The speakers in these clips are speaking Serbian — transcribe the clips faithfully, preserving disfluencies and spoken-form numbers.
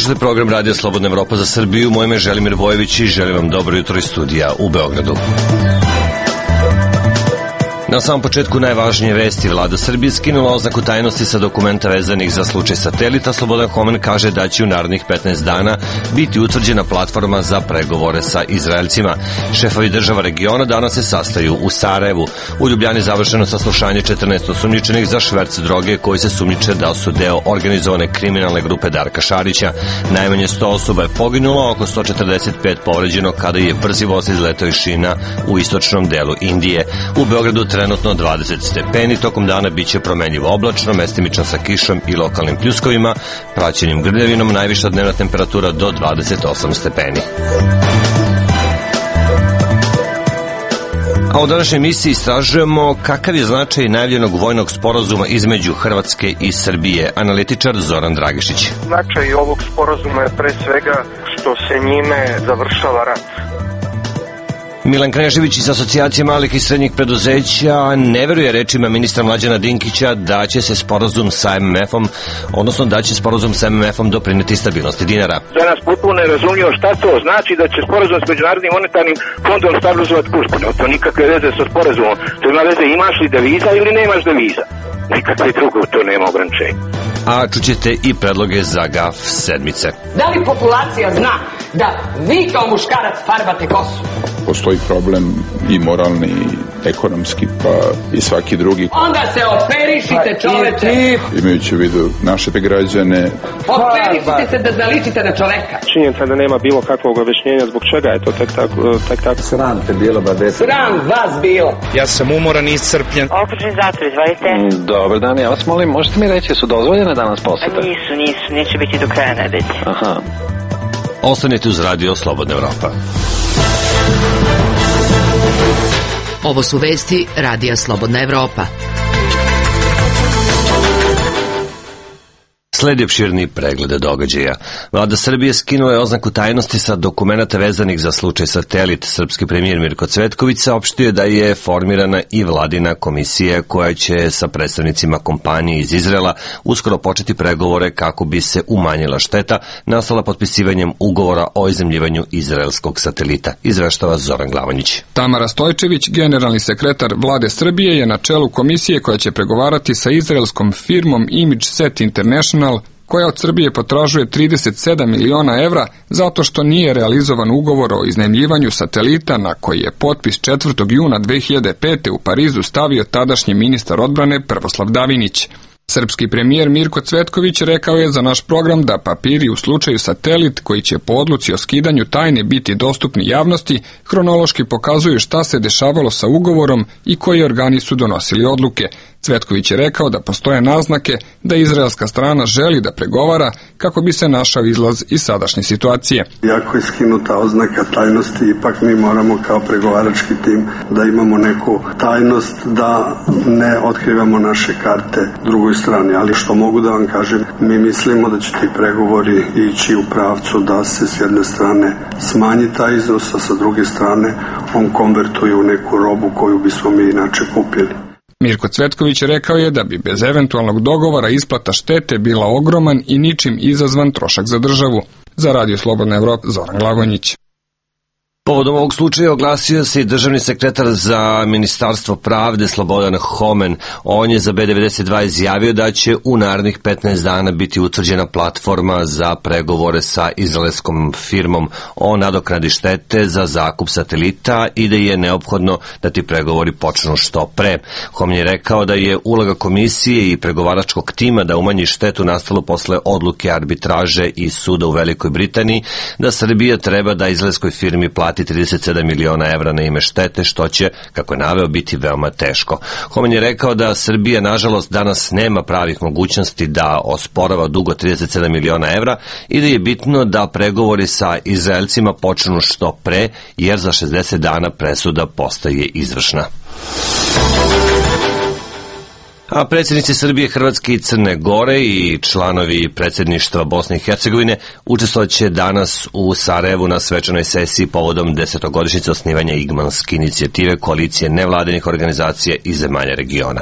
Slušajte program Radio Slobodna Evropa za Srbiju. Moje ime je Želimir Vojević i želim vam dobro jutro iz studija u Beogradu. Na samom početku najvažnije vesti. Vlada Srbije skinula oznaku tajnosti sa dokumenta vezanih za slučaj Satelita. Slobodan Homen kaže da će u narednih petnaest dana biti utvrđena platforma za pregovore sa Izraelcima. Šefovi država regiona danas se sastaju u Sarajevu. U Ljubljani završeno saslušanje četrnaest osumnjičenih za šverc droge koji se sumnjiče da su deo organizovane kriminalne grupe Darka Šarića. Najmanje sto osoba je poginulo, oko sto četrdeset pet povređeno kada je brzi voz izletao iz šina u istočnom delu Indije. U Beogradu trenutno dvadeset stepeni, tokom dana biće promenljivo oblačno, mestimično sa kišom i lokalnim pljuskovima, praćenim grljavinom, najviša dnevna temperatura do dvadeset osam stepeni. A u današnjoj emisiji istražujemo kakav je značaj najavljenog vojnog sporazuma između Hrvatske i Srbije. Analitičar Zoran Dragišić. Značaj ovog sporazuma je pre svega što se njime završava rat. Milan Knežević iz Asocijacije malih i srednjih preduzeća ne veruje rečima ministra Mlađana Dinkića da će se sporazum sa em em efom, odnosno da će sporazum sa em em efom doprineti stabilnosti dinara. Za nas potpuno je razumljivo šta to znači da će sporazum s Međunarodnim monetarnim fondom stabilizovati kurs. To nikakve veze sa sporazumom. To ima veze imaš li deviza ili nemaš deviza. Nikakve drugo, to nema ograničenja. A čućete i predloge za gaf sedmice. Da li populacija zna da vi kao muškarac farbate kosu? Postoji problem i moralni, i ekonomski, pa i svaki drugi. Onda se operišite, čoveče. Imajući u vidu naše građane. Operišite se da zaličite na čoveka. Činjenica da nema bilo kakvog objašnjenja zbog čega je to tek tako. Tek tako. Sram te bilo, bade. Sram vas bilo. Ja sam umoran i iscrpljen. Okružni zatvor, izvolite. Mm, dobar dan, ja vas molim, možete mi reći, su dozvoljene danas posete? Nisu, nisu, neće biti do kraja nedelje. Aha. Ostanite uz Radio Slobodna Evropa. Ovo su vesti Radija Slobodna Evropa. Sledi opširni pregled događaja. Vlada Srbije skinula je oznaku tajnosti sa dokumenata vezanih za slučaj Satelit. Srpski premijer Mirko Cvetković saopštio je da je formirana i vladina komisija koja će sa predstavnicima kompanije iz Izraela uskoro početi pregovore kako bi se umanjila šteta nastala potpisivanjem ugovora o izemljivanju izraelskog satelita. Izveštava Zoran Glavanjić. Tamara Stojčević, generalni sekretar Vlade Srbije, je na čelu komisije koja će pregovarati sa izraelskom firmom ImageSet International, koja od Srbije potražuje trideset sedam miliona evra zato što nije realizovan ugovor o iznajmljivanju satelita na koji je potpis četvrtog juna dve hiljade pete. u Parizu stavio tadašnji ministar odbrane Prvoslav Davinić. Srpski premijer Mirko Cvetković rekao je za naš program da papiri u slučaju Satelit, koji će po odluci o skidanju tajne biti dostupni javnosti, hronološki pokazuju šta se dešavalo sa ugovorom i koji organi su donosili odluke. Cvetković je rekao da postoje naznake da izraelska strana želi da pregovara kako bi se našao izlaz iz sadašnje situacije. Iako je skinuta oznaka tajnosti, ipak mi moramo kao pregovarački tim da imamo neku tajnost, da ne otkrivamo naše karte drugoj strani. Ali što mogu da vam kažem, mi mislimo da će ti pregovori ići u pravcu da se s jedne strane smanji taj iznos, a sa druge strane on konvertuje u neku robu koju bismo mi inače kupili. Mirko Cvetković rekao je da bi bez eventualnog dogovora isplata štete bila ogroman i ničim izazvan trošak za državu. Za Radio Slobodna Evropa, Zoran Glagonjić. Povodom ovog slučaja oglasio se i državni sekretar za Ministarstvo pravde Slobodan Homen. On je za B devedeset dva izjavio da će u narednih petnaest dana biti utvrđena platforma za pregovore sa izraelskom firmom o nadoknadi štete za zakup satelita i da je neophodno da ti pregovori počnu što pre. Homen je rekao da je uloga komisije i pregovaračkog tima da umanji štetu nastalu posle odluke arbitraže i suda u Velikoj Britaniji, da Srbija treba da izraelskoj firmi plati dati trideset sedam miliona evra na ime štete, što će, kako je naveo, biti veoma teško. Homen je rekao da Srbija, nažalost, danas nema pravih mogućnosti da osporava dug od trideset sedam miliona evra i da je bitno da pregovori sa Izraelcima počnu što pre, jer za šezdeset dana presuda postaje izvršna. A predsjednici Srbije, Hrvatske i Crne Gore i članovi predsjedništva Bosne i Hercegovine učestvovaće danas u Sarajevu na svečanoj sesiji povodom desetogodišnjice osnivanja Igmanske inicijative, koalicije nevladinih organizacija i zemalja regiona.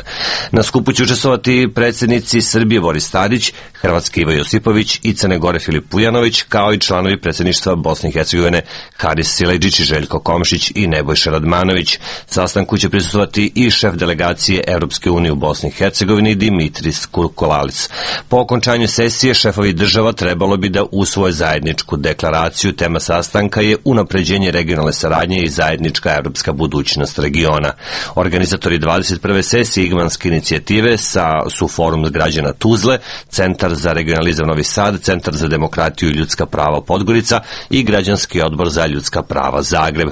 Na skupu će učestvovati predsjednici Srbije Boris Tadić, Hrvatske Ivo Josipović i Crne Gore Filip Vujanović, kao i članovi predsjedništva Bosne i Hercegovine Haris Silajdžić i Željko Komšić i Nebojša Radmanović. Sastanku će prisustvovati i šef delegacije Evropske unije u Bosni i Hercegovini Dimitris Kurkolalis. Po okončanju sesije šefovi država trebalo bi da usvoje zajedničku deklaraciju. Tema sastanka je unapređenje regionalne saradnje i zajednička evropska budućnost regiona. Organizatori dvadeset prve sesije Igmanske inicijative sa, su Forum građana Tuzle, Centar za regionalizam Novi Sad, Centar za demokratiju i ljudska prava Podgorica i Građanski odbor za ljudska prava Zagreb.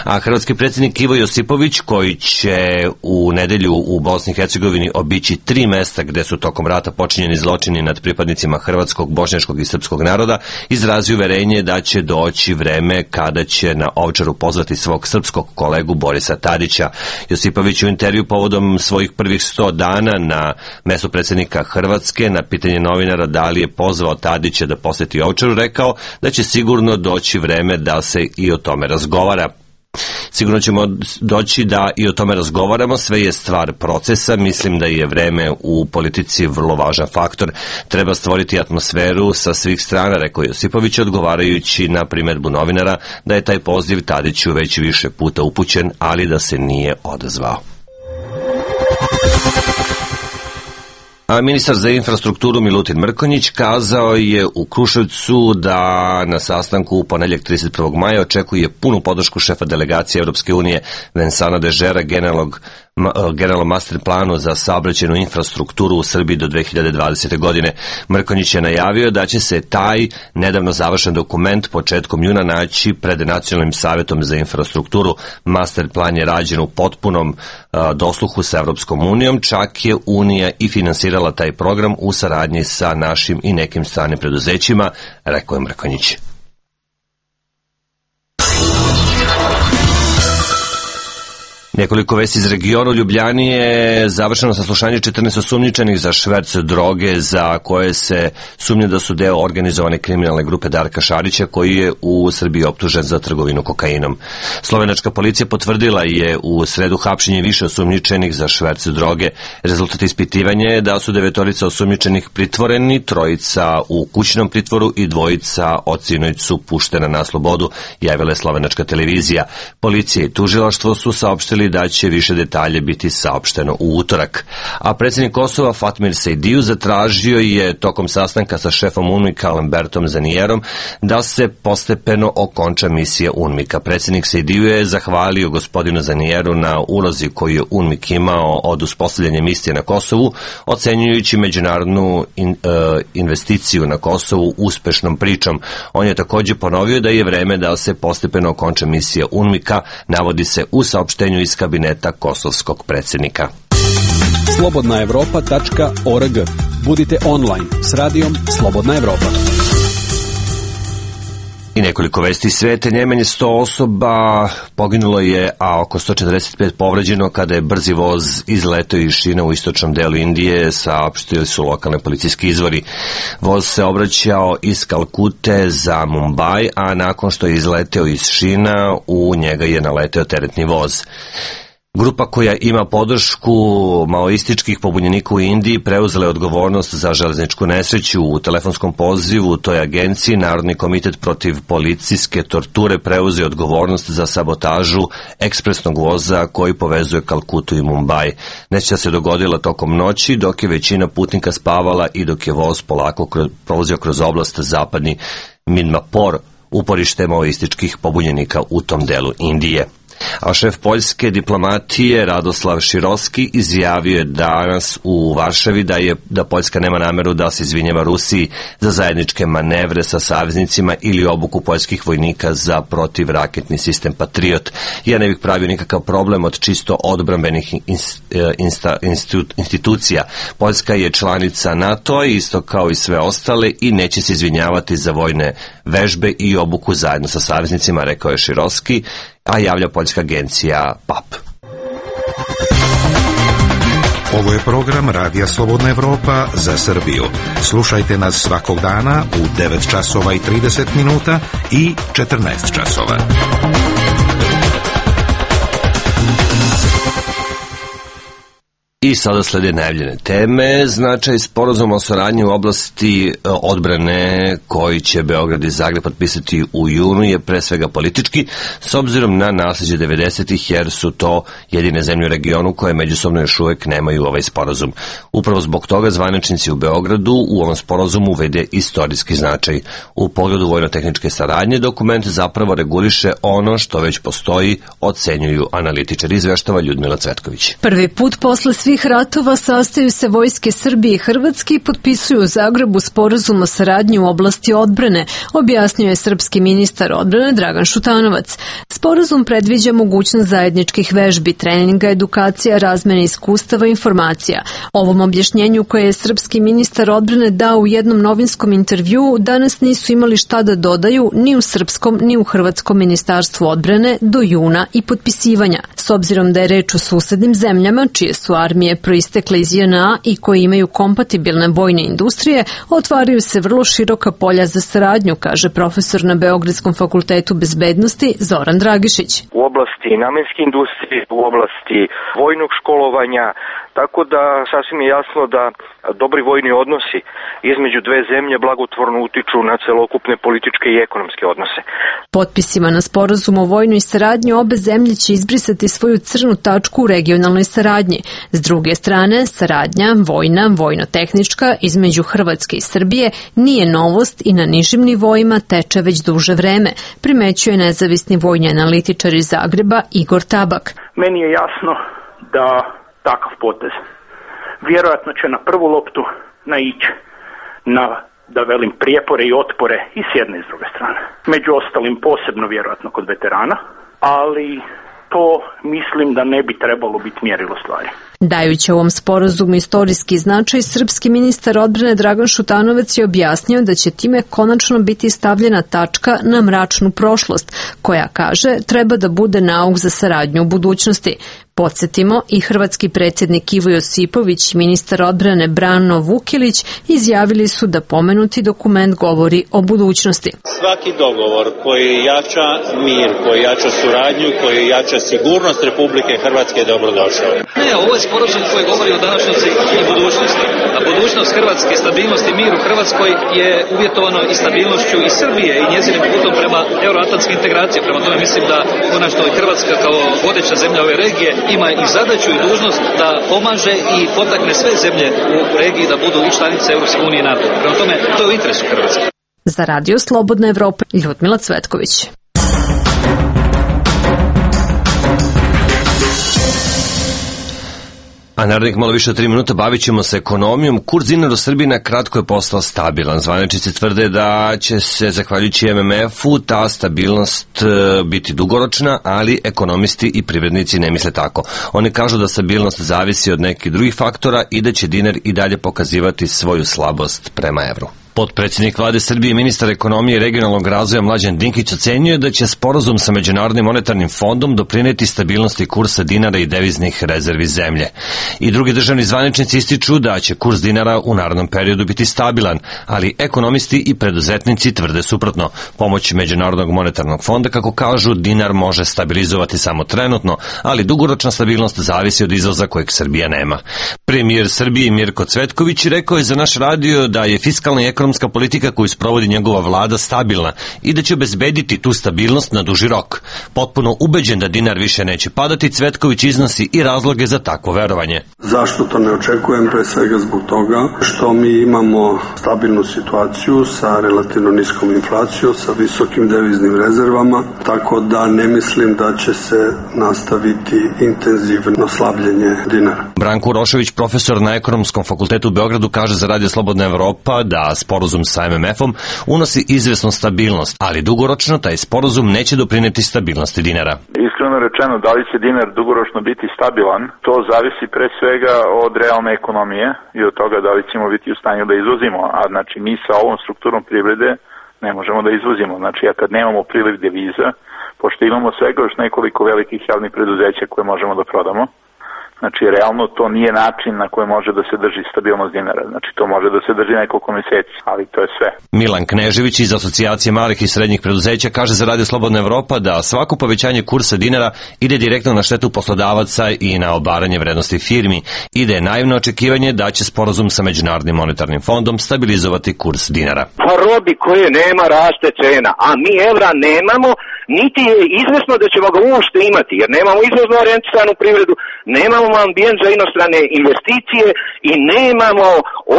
A hrvatski predsjednik Ivo Josipović, koji će u nedelju u Bosni i Hercegovini obići tri mesta gde su tokom rata počinjeni zločini nad pripadnicima hrvatskog, bošnjačkog i srpskog naroda, izrazi uverenje da će doći vreme kada će na Ovčaru pozvati svog srpskog kolegu Borisa Tadića. Josipović u intervju povodom svojih prvih sto dana na mestu predsjednika Hrvatske na pitanje novinara da li je pozvao Tadića da poseti Ovčaru rekao da će sigurno doći vreme da se i o tome razgovara. Sigurno ćemo doći da i o tome razgovaramo, sve je stvar procesa, mislim da je vreme u politici vrlo važan faktor. Treba stvoriti atmosferu sa svih strana, rekao Josipović, odgovarajući na primedbu novinara da je taj poziv Tadiću već više puta upućen, ali da se nije odazvao. A ministar za infrastrukturu Milutin Mrkonjić kazao je u Kruševcu da na sastanku u ponedjeljak trideset prvog maja očekuje punu podršku šefa delegacije Europske unije Vincenta Dežera generalnog generalnom master planu za saobraćajnu infrastrukturu u Srbiji do dve hiljade dvadesete. godine. Mrkonjić je najavio da će se taj nedavno završen dokument početkom juna naći pred Nacionalnim savjetom za infrastrukturu. Master plan je rađen u potpunom a, dosluhu sa Evropskom unijom, čak je Unija i finansirala taj program u saradnji sa našim i nekim stranim preduzećima, rekao je Mrkonjić. Nekoliko vesti iz regiona. U Ljubljani je završeno saslušanje četrnaest osumnjičenih za šverc droge za koje se sumnja da su deo organizovane kriminalne grupe Darka Šarića, koji je u Srbiji optužen za trgovinu kokainom. Slovenačka policija potvrdila je u sredu hapšenje više osumnjičenih za šverc droge. Rezultat ispitivanja je da su devetorica osumnjičenih pritvoreni, trojica u kućnom pritvoru i dvojica od sinoć su puštena na slobodu, javila je slovenačka televizija. Policija i tužilaštvo su saopštili da će više detalje biti saopšteno u utorak. A predsjednik Kosova Fatmir Sejdiju zatražio je tokom sastanka sa šefom UNMIK-a Lambertom Zanijerom da se postepeno okonča misija UNMIK-a. Predsjednik Sejdiju je zahvalio gospodinu Zanijeru na ulozi koju je UNMIK imao od uspostavljanja misije na Kosovu, ocenjujući međunarodnu in, uh, investiciju na Kosovu uspešnom pričom. On je također ponovio da je vreme da se postepeno okonča misija UNMIK-a, navodi se u saopštenju iz kabineta kosovskog predsjednika. slobodna evropa tačka org. Budite online s radijom Slobodna Evropa. I nekoliko vesti iz sveta. Najmanje sto osoba poginulo je, a oko sto četrdeset pet povređeno kada je brzi voz izleteo iz Šina u istočnom delu Indije, saopštili su lokalne policijski izvori. Voz se obraćao iz Kalkute za Mumbai, a nakon što je izleteo iz Šina, u njega je naleteo teretni voz. Grupa koja ima podršku maoističkih pobunjenika u Indiji preuzela je odgovornost za železničku nesreću. U telefonskom pozivu toj agenciji Narodni komitet protiv policijske torture preuzeo odgovornost za sabotažu ekspresnog voza koji povezuje Kalkutu i Mumbai. Nesreća se dogodila tokom noći dok je većina putnika spavala i dok je voz polako prolazio kroz oblast zapadni Midnapore, uporište maoističkih pobunjenika u tom delu Indije. A šef poljske diplomatije Radoslav Široski izjavio je danas u Varšavi da je da Poljska nema nameru da se izvinjava Rusiji za zajedničke manevre sa saveznicima ili obuku poljskih vojnika za protivraketni sistem Patriot. Ja ne bih pravio nikakav problem od čisto odbrambenih insta, institucija. Poljska je članica NATO, isto kao i sve ostale, i neće se izvinjavati za vojne vežbe i obuku zajedno sa saveznicima, rekao je Široski, a javlja poljska agencija P A P. Ovo je program Radija Slobodna Evropa za Srbiju. Slušajte nas svakog dana u devet časova i trideset minuta i četrnaest časova. I sada slede najavljene teme. Značaj sporazuma o saradnji u oblasti odbrane koji će Beograd i Zagreb potpisati u junu je pre svega politički, s obzirom na nasleđe devedesetih, jer su to jedine zemlje u regionu koje međusobno još uvek nemaju ovaj sporazum. Upravo zbog toga zvaničnici u Beogradu u ovom sporazumu vide istorijski značaj. U pogledu vojno-tehničke saradnje dokument zapravo reguliše ono što već postoji, ocenjuju analitičari, izveštava Ljudmila Cvetković. Prvi put posle svih ratova sastaju se vojske Srbije i Hrvatske i potpisuju u Zagrebu sporazum o saradnji u oblasti odbrane, objasnio je srpski ministar odbrane Dragan Šutanovac. Sporazum predviđa mogućnost zajedničkih vežbi, treninga, edukacija, razmene iskustava i informacija. Ovom objašnjenju koje je srpski ministar odbrane dao u jednom novinskom intervjuu danas nisu imali šta da dodaju ni u srpskom ni u hrvatskom ministarstvu odbrane do juna i potpisivanja. S obzirom da je reč o susednim zemljama čije su armije proistekle iz J N A i koji imaju kompatibilne vojne industrije, otvaraju se vrlo široka polja za saradnju, kaže profesor na Beogradskom fakultetu bezbednosti Zoran Dragišić. U oblasti namenske industrije, u oblasti vojnog školovanja, tako da sasvim je jasno da dobri vojni odnosi između dve zemlje blagotvorno utiču na celokupne političke i ekonomske odnose. Potpisima na sporazum o vojnoj saradnji obe zemlje će izbrisati svoju crnu tačku u regionalnoj saradnji. S druge strane, saradnja vojna, vojno-tehnička između Hrvatske i Srbije nije novost i na nižim nivoima teče već duže vreme, primećuje nezavisni vojni analitičar iz Zagreba Igor Tabak. Meni je jasno da takav potez vjerojatno će na prvu loptu naići na, da velim, prijepore i otpore i s jedne i s druge strane. Među ostalim posebno vjerojatno kod veterana, ali to mislim da ne bi trebalo biti mjerilo stvari. Dajući ovom sporazumu istorijski značaj, srpski ministar odbrane Dragan Šutanovac je objasnio da će time konačno biti stavljena tačka na mračnu prošlost, koja, kaže, treba da bude nauk za saradnju u budućnosti. Podsjetimo, i hrvatski predsjednik Ivo Josipović i ministar odbrane Brano Vukilić izjavili su da pomenuti dokument govori o budućnosti. Svaki dogovor koji jača mir, koji jača suradnju, koji jača sigurnost Republike Hrvatske je dobrodošao. Ne, ovo je sporazum koji govori o današnjosti i budućnosti. A budućnost Hrvatske, stabilnost i mir u Hrvatskoj je uvjetovano i stabilnošću i Srbije i njezinim putom prema euroatlantskim integracijama. Prema tome mislim da konačno i Hrvatska kao vodeća zemlja ove regije ima i zadaću i dužnost da pomaže i potakne sve zemlje u regiji da budu i članice Europske unije i NATO. Prema tome, to je u interesu Hrvatske. Za Radio Slobodna Evropa, Ljudmila Cvetković. A narednih malo više od tri minuta bavit ćemo se ekonomijom. Kurs dinara u Srbiji na kratko je postao stabilan. Zvaničnici tvrde da će se, zahvaljujući M M F-u, ta stabilnost biti dugoročna, ali ekonomisti i privrednici ne misle tako. Oni kažu da stabilnost zavisi od nekih drugih faktora i da će dinar i dalje pokazivati svoju slabost prema evru. Potpredsjednik vlade Srbije i ministar ekonomije i regionalnog razvoja Mlađan Dinkić ocenjuje da će sporazum sa Međunarodnim monetarnim fondom doprineti stabilnosti kursa dinara i deviznih rezervi zemlje. I drugi državni zvaničnici ističu da će kurs dinara u narednom periodu biti stabilan, ali ekonomisti i preduzetnici tvrde suprotno. Pomoć Međunarodnog monetarnog fonda, kako kažu, dinar može stabilizovati samo trenutno, ali dugoročna stabilnost zavisi od izvoza kojeg Srbija nema. Premijer Srbije Mirko Cvetković rekao je za naš radio da je fiskalna i ekonomska ekonomska politika koju sprovodi njegova vlada stabilna i da će obezbediti tu stabilnost na duži rok. Potpuno ubeđen da dinar više neće padati, Cvetković iznosi i razloge za takvo verovanje. Zašto to ne očekujem? Pre svega zbog toga što mi imamo stabilnu situaciju sa relativno niskom inflacijom, sa visokim deviznim rezervama, tako da ne mislim da će se nastaviti intenzivno slabljenje dinara. Branko Urošević, profesor na Ekonomskom fakultetu u Beogradu, kaže za Radio Slobodna Evropa da sporazum sa em em efom unosi izvesnu stabilnost, ali dugoročno taj sporazum neće doprineti stabilnosti dinara. Iskreno rečeno, da li će dinar dugoročno biti stabilan, to zavisi pre svega od realne ekonomije i od toga da li ćemo biti u stanju da izvozimo, a znači mi sa ovom strukturom privrede ne možemo da izvozimo. Znači, a kad nemamo priliv deviza, pošto imamo svega još nekoliko velikih javnih preduzeća koje možemo da prodamo, znači, realno to nije način na koji može da se drži stabilnost dinara. Znači, to može da se drži nekoliko meseci, ali to je sve. Milan Knežević iz Asocijacije malih i srednjih preduzeća kaže za Radio Slobodna Evropa da svako povećanje kursa dinara ide direktno na štetu poslodavaca i na obaranje vrednosti firmi i da je naivno očekivanje da će sporazum sa Međunarodnim monetarnim fondom stabilizovati kurs dinara. Pa robi koje nema raste cena, a mi evra nemamo, niti je izvesno da ćemo ga uopšte imati, jer nemamo izvozno orijentisanu privredu, nemamo ambijent za inostrane investicije i nemamo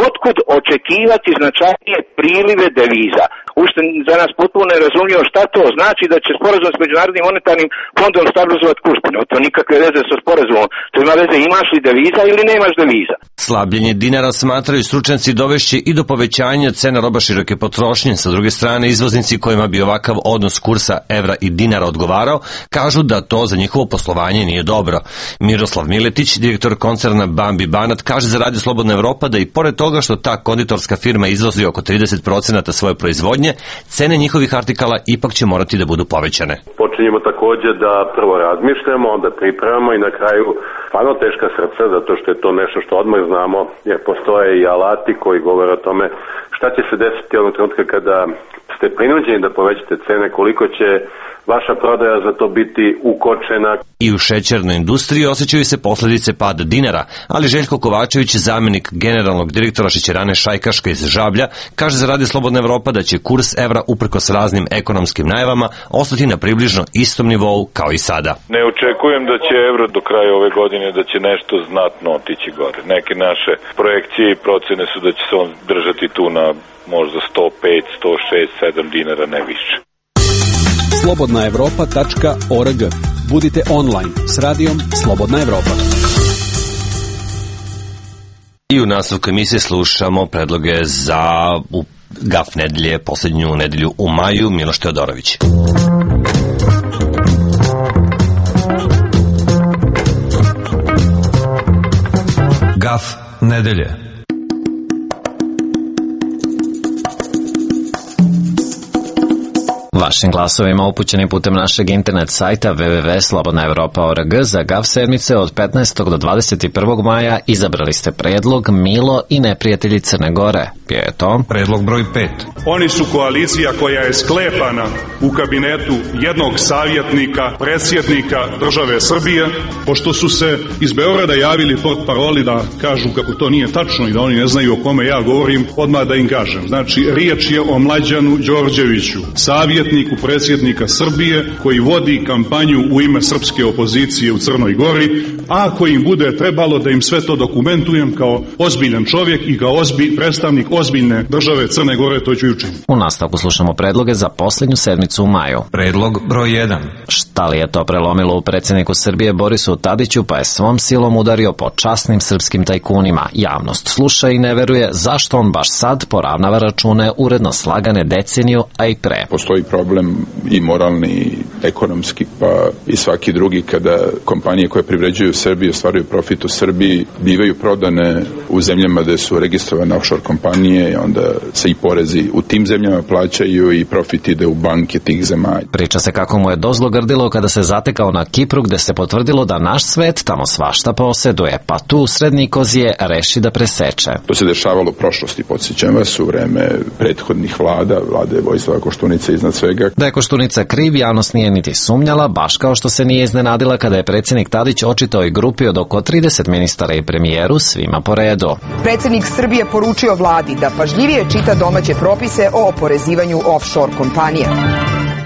otkud očekivati značajnije prilive deviza. Ušte za nas potpuno nerazumljivo šta to znači da će sporazum s Međunarodnim monetarnim fondom stabilizovati kurs. No, to nikakve veze sa sporazumom. To ima veze imaš li deviza ili nemaš deviza. Slabljenje dinara, smatraju stručnjaci, dovešće i do povećanja cena roba široke potrošnje. Sa druge strane, izvoznici kojima bi ovakav odnos kursa evra i dinara odgovarao, kažu da to za njihovo poslovanje nije dobro. Miroslav Miletić, direktor koncerna Bambi Banat, kaže za Radio Slobodna Evropa da i pored toga što ta konditorska firma izvozi oko trideset procenata svoje proizvodnje, cene njihovih artikala ipak će morati da budu povećane. Počinjemo takođe da prvo razmišljamo, onda pripremamo i na kraju stvarno teška srca, zato što je to nešto što odmah znamo, jer postoje i alati koji govore o tome šta će se desiti onog trenutka kada ste prinuđeni da povećate cene, koliko će vaša prodaja za to biti ukočena. I u šećernoj industriji osjećaju se posledice pada dinara, ali Željko Kovačević, zamenik generalnog direktora šećerane Šajkaška iz Žablja, kaže za Radio Slobodna Evropa da će kurs evra uprkos raznim ekonomskim najavama ostati na približno istom nivou kao i sada. Ne očekujem da će evro do kraja ove godine da će nešto znatno otići gore. Neke naše projekcije i procene su da će se on držati tu na možda sto pet, sto šest, sedam dinara, ne više. slobodna evropa tačka org. Budite online s radijom Slobodna Evropa. I u nastavku emisije slušamo predloge za Gaf nedelje, poslednju nedelju u maju, Miloš Teodorović. Gaf nedelje. Vašim glasovima upućeni putem našeg internet sajta w w w tačka slobodna evropa tačka org za Gav sedmice od petnaestog do dvadeset prvog maja izabrali ste predlog Milo i neprijatelji Crne Gore. Bio je to predlog broj pet. Oni su koalicija koja je sklepana u kabinetu jednog savjetnika, predsjednika države Srbije, pošto su se iz Beograda javili portparoli da kažu kako to nije tačno i da oni ne znaju o kome ja govorim, odmah da im kažem. Znači, riječ je o Mlađanu Đorđeviću, savjetniku predsjednika Srbije koji vodi kampanju u ime srpske opozicije u Crnoj Gori, a ako im bude trebalo da im sve to dokumentujem kao ozbiljan čovjek i kao ozbilj, predstavnik ozbiljne države Crne Gore, to ću učiniti. U nastavku slušamo predloge za poslednju sedmicu u maju. Predlog broj jedan. Šta li je to prelomilo u predsjedniku Srbije Borisu Tadiću, pa je svom silom udario po časnim srpskim tajkunima? Javnost sluša i ne veruje zašto on baš sad poravnava račune uredno slagane deceniju, a i pre. Postoji problem i moralni i ekonomski, pa i svaki drugi, kada kompanije koje privređuju u Srbiji ostvaruju profit u Srbiji, bivaju prodane u zemljama gde su registrovane offshore kompanije i onda se i porezi u tim zemljama plaćaju i profit ide u banke tih zemalja. Priča se kako mu je dozlo grdilo kada se zatekao na Kipru, gde se potvrdilo da naš svet tamo svašta poseduje, pa tu srednji kozije reši da preseče. To se dešavalo u prošlosti, podsjećam vas, u vreme prethodnih vlada, vlade Vojislava Koštunice iznad svega, svega. Da je Koštunica kriv, javnost nije niti sumnjala, baš kao što se nije iznenadila kada je predsjednik Tadić očitao i grupi od oko trideset ministara i premijeru svima po redu. Predsjednik Srbije poručio vladi da pažljivije čita domaće propise o oporezivanju offshore kompanija.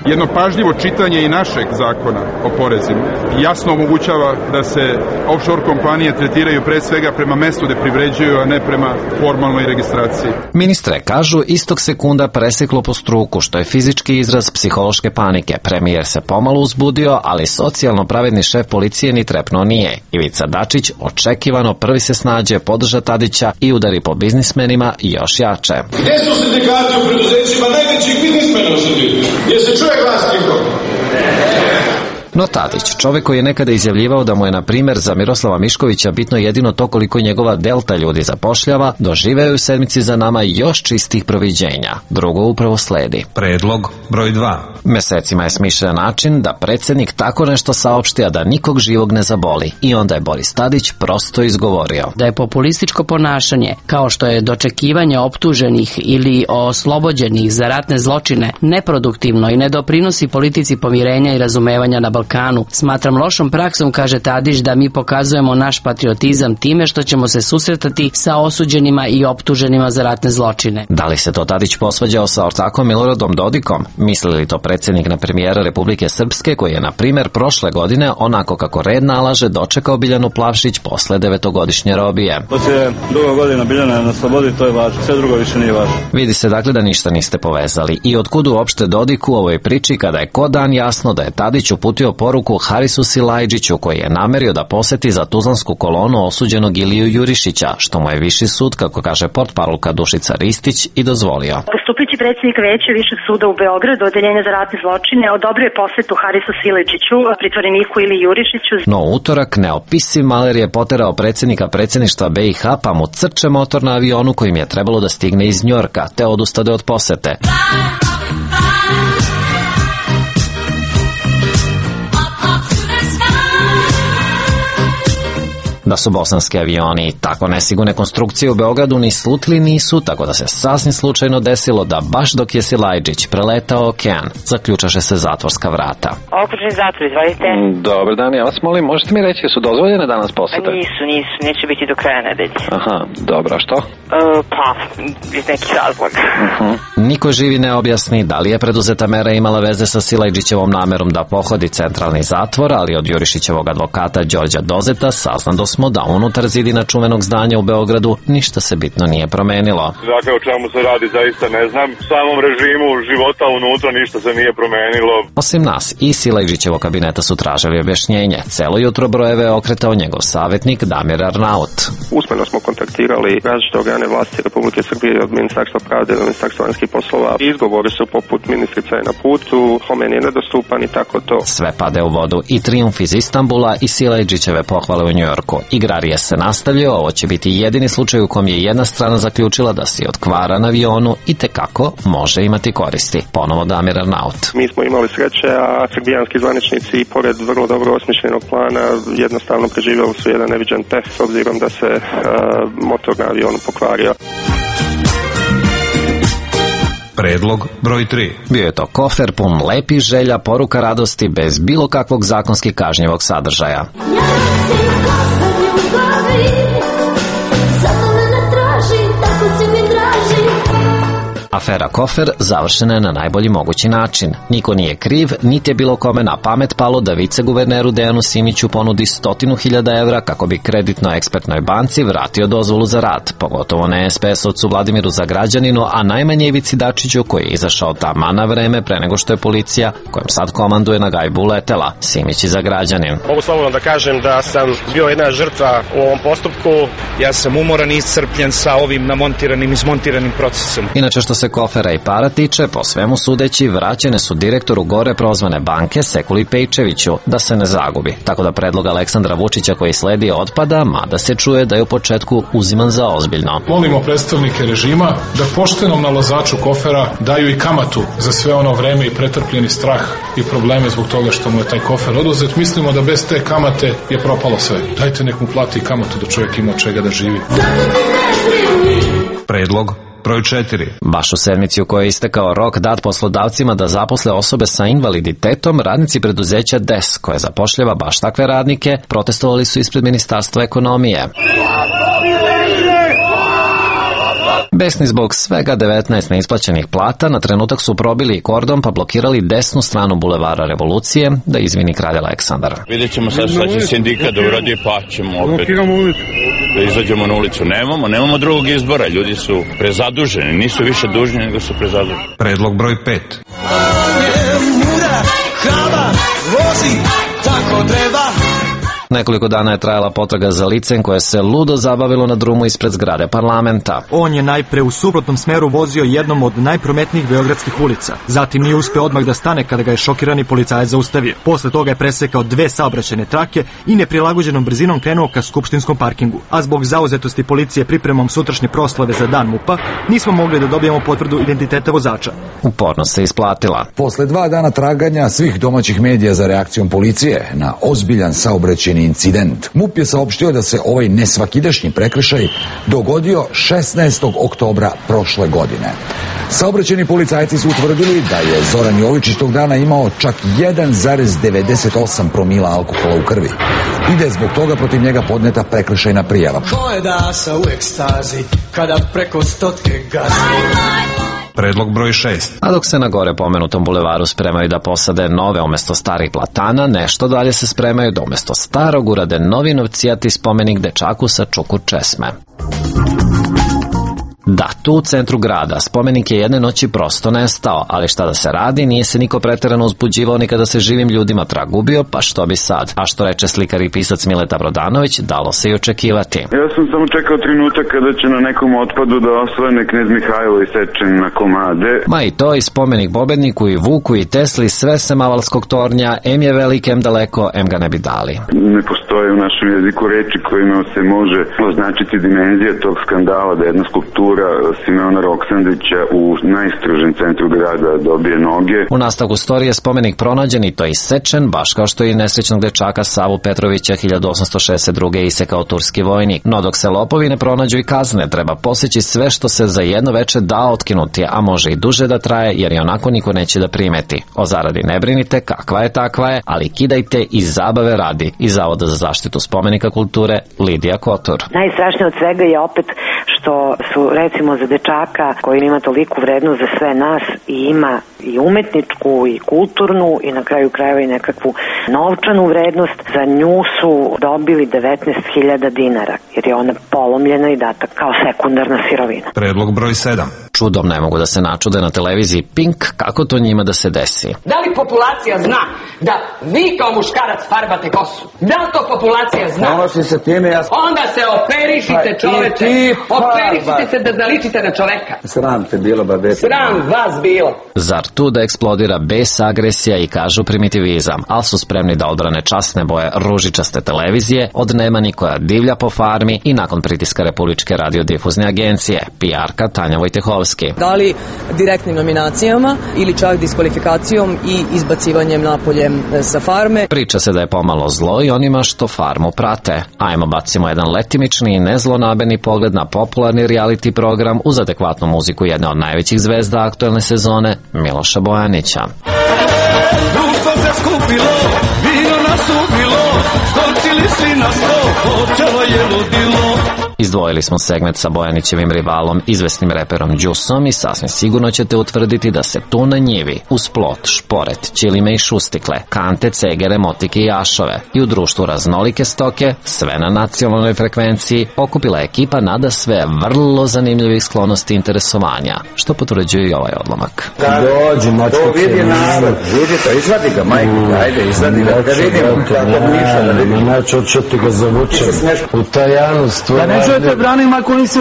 Jedno pažljivo čitanje i našeg zakona o porezima jasno omogućava da se offshore kompanije tretiraju pre svega prema mestu gde privređuju, a ne prema formalnoj registraciji. Ministre kažu istog sekunda preseklo po struku, što je fizički izraz psihološke panike. Premijer se pomalo uzbudio, ali socijalno pravedni šef policije ni trepnuo nije. Ivica Dačić očekivano prvi se snađe, podrža Tadića i udari po biznismenima još jače. Gde su sindikati u preduzećima najvećih biznismena u Srbiji? Gdje se čuje glas njihov? No Tadić, čovjek koji je nekada izjavljivao da mu je na primjer za Miroslava Miškovića bitno jedino to koliko njegova delta ljudi zapošljava, doživeo u sedmici za nama još čistih proviđenja. Drugo upravo sledi. Predlog broj dva. Mesecima je smišljen način da predsjednik tako nešto saopšti, a da nikog živog ne zaboli. I onda je Boris Tadić prosto izgovorio da je populističko ponašanje, kao što je dočekivanje optuženih ili oslobođenih za ratne zločine, neproduktivno i ne doprinosi politici pomirenja i razumevanja na Balkanu. Smatram lošom praksom, kaže Tadić, da mi pokazujemo naš patriotizam time što ćemo se susretati sa osuđenima i optuženima za ratne zločine. Da li se to Tadić posvađao sa ortakom Miloradom Dodikom? Misli li to predsjednik na premijera Republike Srpske, koji je na primjer prošle godine, onako kako red nalaže, dočekao Biljanu Plavšić posle devetogodišnje robije? Poslije dugo godina Biljana na slobodi, to je važno, sve drugo više nije važno. Vidi se dakle da ništa niste povezali. I otkud uopšte Dodik u ovoj priči kada je ko dan jasno da je Tadić uputio poruku Harisu Silajdžiću, koji je namerio da poseti za Tuzlansku kolonu osuđenog Iliju Jurišića, što mu je viši sud, kako kaže portparolka Dušica Ristić, i dozvolio. Postupajući predsjednik Veća Višeg suda u Beogradu, Odeljenja za ratne zločine, odobrio je posetu Harisu Silajdžiću, pritvoreniku Iliji Jurišiću. No utorak neopisiv maler je poterao predsjednika predsjedništva B i H, pa mu crče motor na avionu kojim je trebalo da stigne iz Njorka, te odustade od posete. Da su bosanski avioni tako nesigurne konstrukcije u Beogradu ni slutili nisu, tako da se sasvim slučajno desilo da baš dok je Silajdžić preletao okean, zaključaše se zatvorska vrata. Okružni zatvor, izvolite. Dobar dan, ja vas molim, možete mi reći, su dozvoljene danas posete? Nisu, nisu, neće biti do kraja nedelje. Aha, dobro, što? Uh, pa, iz nekih razloga. Uh-huh. Niko živi ne objasni da li je preduzeta mera imala veze sa Silajdžićevom namerom da pohodi centralni zatvor, ali od Jurišićevog advokata Đorđa Dozeta saznado smo da unutar zidina čuvenog zdanja u Beogradu ništa se bitno nije promenilo. Dakle, o čemu se radi, zaista ne znam. U samom režimu života unutra ništa se nije promenilo. Osim nas, i Silajdžićevog kabineta su tražili objašnjenje. Celo jutro brojeve je okretao njegov savjetnik Damir Arnaut. Usmeno smo kontaktirali različite organe vlasti Republike Srbije, od Ministarstva pravde do Ministarstva vanjskih poslova. Izgovori su poput ministrica je na putu, Homen je nedostupan i tako to. Sve pade u vodu, i trijumf iz Istanbula i Silajdžićeve pohvale u Njujorku. Igrarije se nastavljaju, ovo će biti jedini slučaj u kom je jedna strana zaključila da si od kvara na avionu i tekako može imati koristi. Ponovo Damir Arnaut. Mi smo imali sreće, a srbijanski zvaničnici, pored vrlo dobro osmišljenog plana, jednostavno preživjeli su jedan neviđen peh s obzirom da se uh, motor na avionu pokvario. Predlog broj tri. Bio je to kofer pun lepih želja, poruka radosti, bez bilo kakvog zakonski kažnjivog sadržaja. Afera Kofer završena je na najbolji mogući način. Niko nije kriv, niti je bilo kome na pamet palo da viceguverneru Dejanu Simiću ponudi stotinu hiljada evra kako bi kreditno-ekspertnoj banci vratio dozvolu za rad, pogotovo ne es pe esovcu Vladimiru Zagrađaninu, a najmanje Ivici Dačiću, koji je izašao tama na vreme pre nego što je policija, kojem sad komanduje na gajbu uletela. Simić i Zagrađanin. Mogu slobodno da kažem da sam bio jedna žrtva u ovom postupku. Ja sam umoran i iscrpljen sa ovim namontiranim, izmontiranim procesom. Inače, što se Kofera i para tiče, po svemu sudeći, vraćene su direktoru gore prozvane banke Sekuli Pejčeviću da se ne zagubi. Tako da predlog Aleksandra Vučića koji sledi otpada, mada se čuje da je u početku uziman za ozbiljno. Molimo predstavnike režima da poštenom nalazaču Kofera daju i kamatu za sve ono vreme i pretrpljeni strah i probleme zbog toga što mu je taj Kofer oduzet. Mislimo da bez te kamate je propalo sve. Dajte nek mu plati kamatu da čovjek ima od čega da živi. Predlog broj četiri. Baš u sedmici u kojoj je istekao rok dat poslodavcima da zaposle osobe sa invaliditetom, radnici preduzeća D E S, koje zapošljava baš takve radnike, protestovali su ispred Ministarstva ekonomije. Besni zbog svega devetnaest neisplaćenih plata, na trenutak su probili kordon pa blokirali desnu stranu bulevara Revolucije, da izvini kralj Aleksandar. Vidjet ćemo sad šta će sindikat da uradi, pa ćemo opet da izađemo na ulicu. Nemamo, nemamo drugog izbora, ljudi su prezaduženi, nisu više dužni nego su prezaduženi. Predlog broj pet. Nekoliko dana je trajala potraga za licem koje se ludo zabavilo na drumu ispred zgrade parlamenta. On je najpre u suprotnom smeru vozio jednom od najprometnijih beogradskih ulica. Zatim nije uspeo odmah da stane kada ga je šokirani policajac zaustavio. Posle toga je presekao dve saobraćajne trake i neprilagođenom brzinom krenuo ka skupštinskom parkingu. A zbog zauzetosti policije pripremom sutrašnje proslave za dan MUP-a, nismo mogli da dobijemo potvrdu identiteta vozača. Upornost se isplatila. Posle dva dana traganja svih domaćih medija za reakcijom policije na ozbiljan saobraćajni incident, MUP je saopštio da se ovaj nesvakidašnji prekršaj dogodio šesnaestog oktobra prošle godine. Saobraćajni policajci su utvrdili da je Zoran Jovičić tog dana imao čak jedan zarez devedeset osam promila alkohola u krvi i da je zbog toga protiv njega podneta prekršajna prijava. Ko je dasa u ekstazi kada preko stotke gazi? Predlog broj šest. A dok se na gore pomenutom bulevaru spremaju da posade nove umesto starih platana, nešto dalje se spremaju da umesto starog urade novi novcijati spomenik dečaku sa čukur česme. Da, tu u centru grada spomenik je jedne noći prosto nestao, ali šta da se radi, nije se niko preterano uzbuđivao ni kada se živim ljudima trag gubio, pa što bi sad? A što reče slikar i pisac Mileta Brodanović, dalo se i očekivati. Ja sam samo čekao trenutak kada će na nekom otpadu da osvane knez Mihajlo isečen na komade. Ma i to, i spomenik pobedniku, i Vuku, i Tesli, sve se Mavalskog tornja, em je velik, em daleko, em ga ne bi dali. Ne postoje u našem jeziku reči kojima se može označiti dimenzija tog skandala da jedna skulptura Simeona Roksandića u najstrožem centru grada dobije noge. U nastavku storije spomenik pronađen i to isečen, baš kao što je i nesrećnog dečaka Savu Petrovića hiljadu osamsto šezdeset druge isekao turski vojnik. No dok se lopovi ne pronađu i kazne, treba poseći sve što se za jedno veče da otkinuti, a može i duže da traje, jer i onako niko neće da primeti. O zaradi ne brinite, kakva je takva je, ali kidajte i zabave radi. Iz Zavoda za zaštitu spomenika kulture, Lidija Kotor. Najstrašnije od svega je opet što su, recimo, za dečaka koji ima toliku vrednost za sve nas i ima i umetničku i kulturnu i na kraju krajeva i nekakvu novčanu vrednost, za nju su dobili devetnaest hiljada dinara, jer je ona polomljena i data kao sekundarna sirovina. Predlog broj sedam. Čudom ne mogu da se načude na televiziji Pink kako to njima da se desi. Da li populacija zna da vi kao muškarac farbate kosu? Da li to populacija zna? Ponosi se time, ja... Onda se operišite, čoveče. Operišite se da zaličite na čoveka. Sram te bilo, babete. Sram vas bilo. Zar tu da eksplodira bes, agresija i kažu primitivizam, ali su spremni da odbrane časne boje ružičaste televizije od Nemani koja divlja po farmi i nakon pritiska Republičke radiodifuzne agencije, P R-ka Tanja Vojtehovski. Da li direktnim nominacijama ili čak diskvalifikacijom i izbacivanjem napolje sa farme. Priča se da je pomalo zlo i onima što farmu prate. Ajmo bacimo jedan letimični i nezlonabeni pogled na popularni reality program uz adekvatnu muziku jedne od najvećih zvezda aktuelne sezone, Miloša Bojanića. Društvo se skupilo, vino nas ubilo, skočili svi na sto, počelo je ludilo. Izdvojili smo segment sa Bojanićevim rivalom, izvesnim reperom Đusom, i sasvim sigurno ćete utvrditi da se tu na njivi, uz plot, šporet, ćilime i šustikle, kante, cegere, motike i ašove i u društvu raznolike stoke, sve na nacionalnoj frekvenciji, okupila ekipa nada sve vrlo zanimljivih sklonosti i interesovanja, što potvrđuje i ovaj odlomak. Dođi, močko se narod. Vidi to, izvadi ga, majke, ajde, izvadi ga, da vidimo kako miša, da vidimo. Znači, odšto ti ga zavučem u tajanu stvar. Da ne čujete branim ako nisi...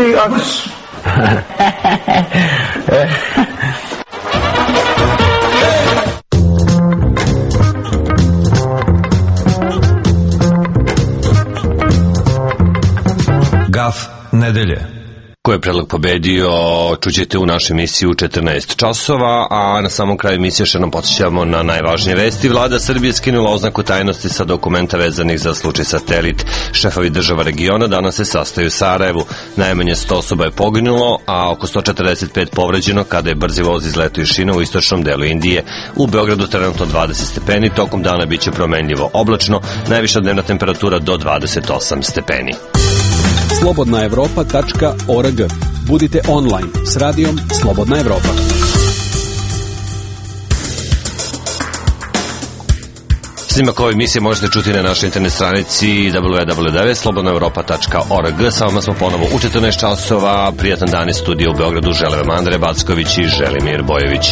Gaf nedelje. Ko je predlog pobedio, čućete u našoj emisiji u četrnaest časova, a na samom kraju emisije še nam podsjećamo na najvažnije vesti. Vlada Srbije skinula oznaku tajnosti sa dokumenta vezanih za slučaj Satelit. Šefovi država regiona danas se sastaju u Sarajevu. Najmanje sto osoba je poginulo, a oko sto četrdeset pet povređeno kada je brzi voz izletio iz šina u istočnom delu Indije. U Beogradu trenutno dvadeset stepeni, tokom dana biće promenljivo oblačno, najviša dnevna temperatura do dvadeset osam stepeni. slobodna evropa tačka org. Budite online s radijom Slobodna Evropa. Snimak ove emisije možete čuti na našoj internet stranici w w w tačka slobodna evropa tačka org. Sa vama smo ponovo u četrnaest časova. Prijatan dan iz studija u Beogradu. Žele vam Andrej Backović i Želimir Bojević.